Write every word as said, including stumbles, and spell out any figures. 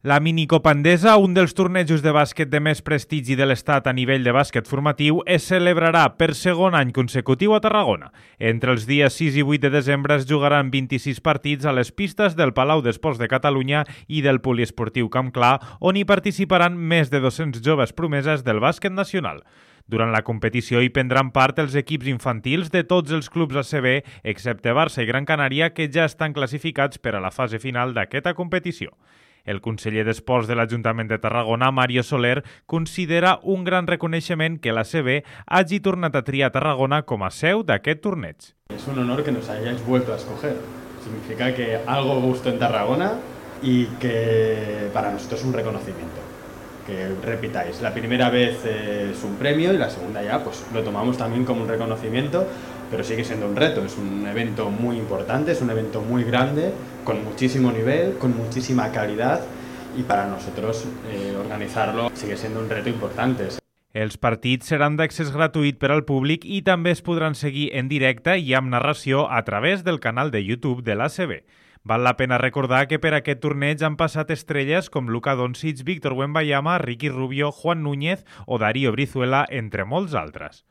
La Minicopa Endesa, un dels tornejos de bàsquet de més prestigi de l'Estat a nivell de bàsquet formatiu, es celebrarà per segon any consecutiu a Tarragona. Entre els dies sis i vuit de desembre es jugaran vint-i-sis partits a les pistes del Palau d'Esports de Catalunya i del Poliesportiu Camp Clar, on hi participaran més de dos-cents joves promeses del bàsquet nacional. Durant la competició hi prendran part els equips infantils de tots els clubs A C B, excepte Barça i Gran Canària, que ja estan classificats per a la fase final d'aquesta competició. El conseller d'Esports de l'Ajuntament de Tarragona, Mario Soler, considera un gran reconeixement que l'A C B hagi tornat a triar Tarragona com a seu d'aquest torneig. Es un honor que nos hayáis vuelto a escoger. Significa que algo gustó en Tarragona y que para nosotros es un reconocimiento. Que repitáis, la primera vez es un premio y la segunda ya pues lo tomamos también como un reconocimiento, pero sigue siendo un reto. Es un evento muy importante, es un evento muy grande, con muchísimo nivel, con muchísima calidad, y para nosotros eh, organitzar-lo sigue siendo un reto importante. Els partits seran d'accés gratuït per al públic i també es podran seguir en directe i amb narració a través del canal de YouTube de l'A C B. Val la pena recordar que per aquest torneig han passat estrelles com Luka Doncic, Víctor Wembanyama, Ricky Rubio, Juan Núñez o Darío Brizuela, entre molts altres.